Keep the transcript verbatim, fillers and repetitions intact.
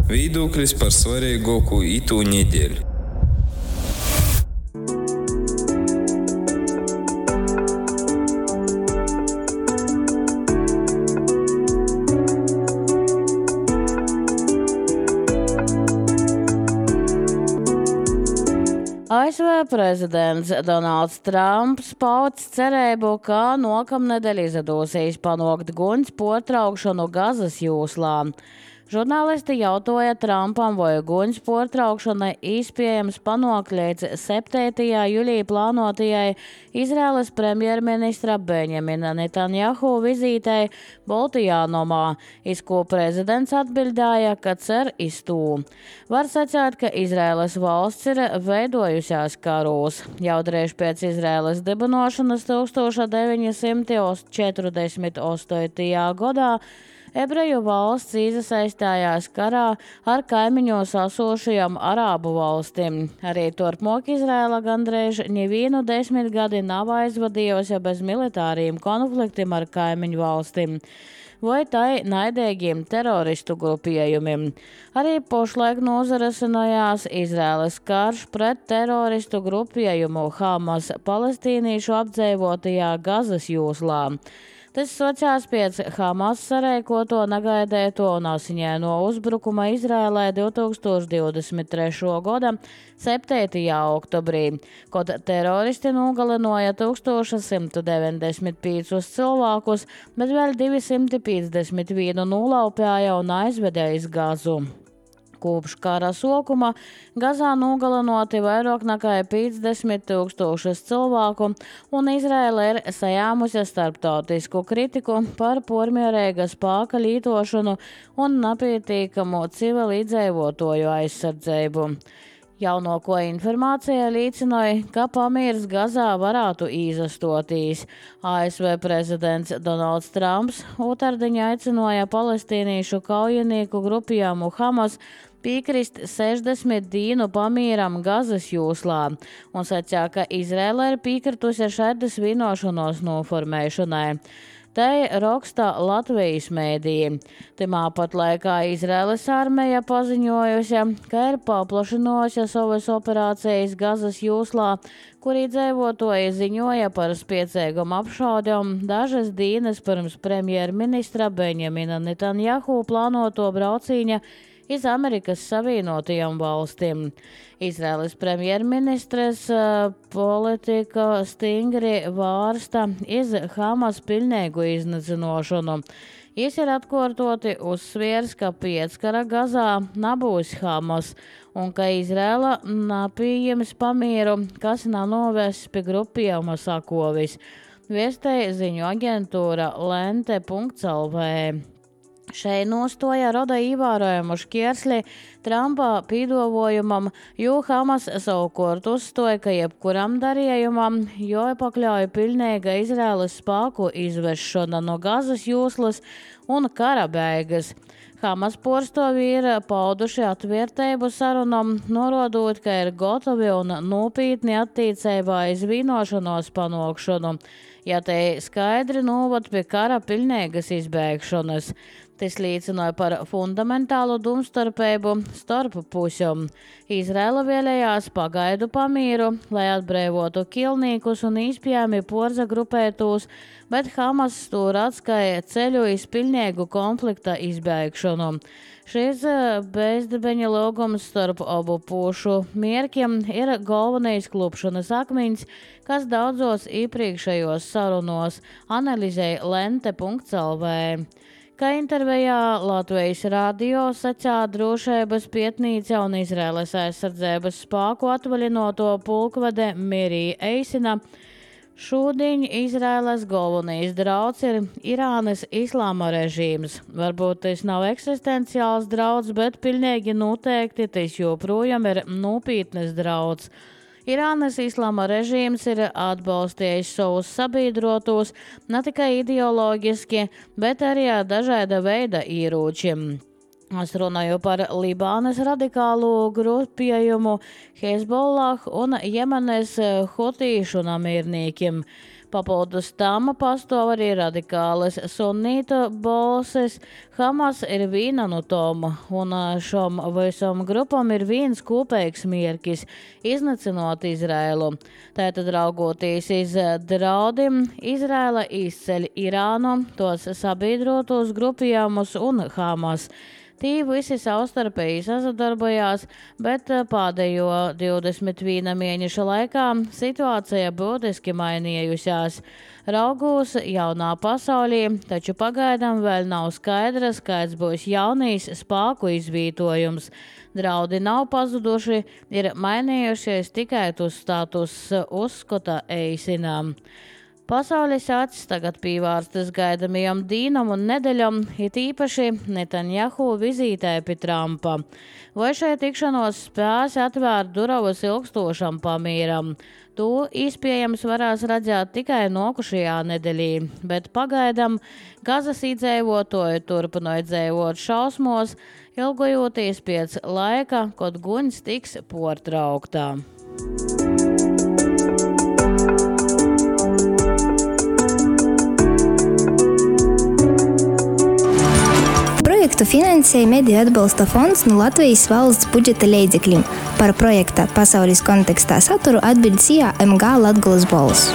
Viedoklis par svarīgāko itū nedēļu. A S V prezidents Donalds Trumps pauds cerību, ka nākamnedēļ izdosies panākt guņs pārtraukšanu Gazas joslā. Žurnālisti jautāja Trumpam, vai guņs pārtraukšana iespējams panākt līdz septītajā jūlijā plānotajai Izraēlas premjerministra Benjamina Netanjahu vizītei Baltijānomā, iz ko prezidents atbildēja, ka cer iz to. Var sacīt, ka Izraēlas valsts ir veidojusies karūs. Jau drīz pēc Izraēlas dibinošanas deviņi simti četrdesmit astotajā gadā Ebreju valsts iesaistījās karā ar kaimiņos esošajām arābu valstīm. Arī turpmāk Izraēla gandrīz nevienu desmitgadi nav aizvadījusi bez militāriem konfliktiem ar kaimiņu valstīm vai tai naidīgiem teroristu grupējumiem. Arī pašlaik nozarasinājās Izraēlas karš pret teroristu grupējumu Hamas palestīniešu apdzīvotajā Gazas joslā. Tas socās pēc Hamas sarēkoto negaidēto un asiņaino uzbrukuma Izraēlai divtūkstoš divdesmit trešā gada septītajā oktobrī, kad teroristi nogalināja tūkstoš simt deviņdesmit piecus cilvēkus, bet vēl divi simti piecdesmit vienu nolaupīja un aizveda iz Gazu. Kopš kara sākuma Gazā nogalinoti vairāk nekā piecdesmit tūkstošus cilvēku, un Izraēla ir sajāmusi starptautisku kritiku par pormierīga spēka lietošanu un nepietiekamu civilizējotoju aizsardzību. Jaunāko informācija liecināja, ka pamieris Gazā varētu izastotīs. A S V prezidents Donalds Trumps otrdien aicināja palestīniešu kaujinieku grupējumu Hamas piekrist sešdesmit dienu pamieram Gazas joslā un sacīja, ka Izraēla ir piekritusi šādas vienošanos noformēšanai. Te raksta Latvijas mēdīji. Timā pat laikā Izraēlas armija paziņojusi, ka ir paplašinājusi savas operācijas Gazas joslā, kur iedzīvotāji ziņoja par spēcīgām apšaudēm dažas dienas pirms premjerministra Benjamina Netanjahu plānoto brauciņa iz Amerikas Savienotajām valstīm. Izraēlas premjerministres politika stingri vārsta iz Hamas pilnīgu iznīcināšanu. Jis ir atkārtoti uzsviers, ka pieckara Gazā nebūs Hamas un ka Izraēla nepieņems pamieru, kas nav novests pie grupējuma sakovis. Viestēja ziņu aģentūra lente punkts L V. Šai nostoja roda ievērojumu šķērsli Trumpa pīdolojumam, jo Hamas savukārt uzstoja, ka jebkuram darījumam jāpakļauj pilnīga Izraēlas spēku izvešana no Gazas joslas un kara beigas. Hamas pārstāvji ir pauduši atvērtību sarunam, norādot, ka ir gatavi un nopietni attiecībā iz vienošanos panākšanu, ja te skaidri novad pie kara pilnīgas izbēgšanas. Tas liecināja par fundamentālu domstarpību starp pusēm. Izraēla vēlējās pagaidu pamieru, lai atbrīvotu ķilniekus un īspējami porzagrupētos, bet Hamas tur atskaja ceļu iz pilnīgu konflikta izbēgšanu. Šis bezdibeņa lūgums starp abu pušu mērķiem ir galvenais klupšanas akmeņs, kas daudzos iepriekšējos sarunos analizēja lente punkts L V. Kā intervijā Latvijas radio sacīja drošības pietnīca un Izraēlas aizsardzības spēku atvaļinoto pulkvede Mirija Eisina, šodien Izraēlas galvenais drauds ir Irānas islāma režīms. Varbūt tas nav eksistenciāls drauds, bet pilnīgi noteikti tas joprojām ir nopietnas drauds. Irānas islāma režīms ir atbalstījis savus sabiedrotos ne tikai ideoloģiski, bet arī ar dažāda veida ieročiem. Es runāju par Libānas radikālo grupējumu Hezbollah un Jemenes hutīšu namierniekiem. Papildus tam pastāv arī radikālas sunīta balsis. Hamas ir viena no tom, un šom visam grupam ir viens kopīgs mierkis – iznacinot Izraēlu. Tātad raugoties iz draudiem, Izraēla izceļ Irānu, tos sabiedrotos grupējumus un Hamas. Tī visi savstarpēji sazadarbojās, bet pēdējo divdesmit viena mēneša laikā situācija būtiski mainījusiās. Raugūs jaunā pasaulī, taču pagaidām vēl nav skaidrs, kāds būs jaunīs spēku izvietojums. Draudi nav pazuduši, ir mainījušies tikai uz status uzskata eisinām. Pasaules acis tagad pīvārstas gaidamajam dīnam un nedeļam, it īpaši Netanjahu vizītē pie Trumpa. Vai šai tikšanos spēs atvērt durvis ilgstošam pamīram? To iespējams varēs redzēt tikai nokušajā nedeļī, bet pagaidam Gazas iedzīvotāji turpināja dzīvot šausmos, ilgojoties pēc laika, kad guņs tiks portrauktā. Projektu finansēja Mediju atbalsta fonds no Latvijas valsts budžeta līdzekļiem. Par projekta pasaules kontekstā saturu atbild S I A M G Latgolas balss.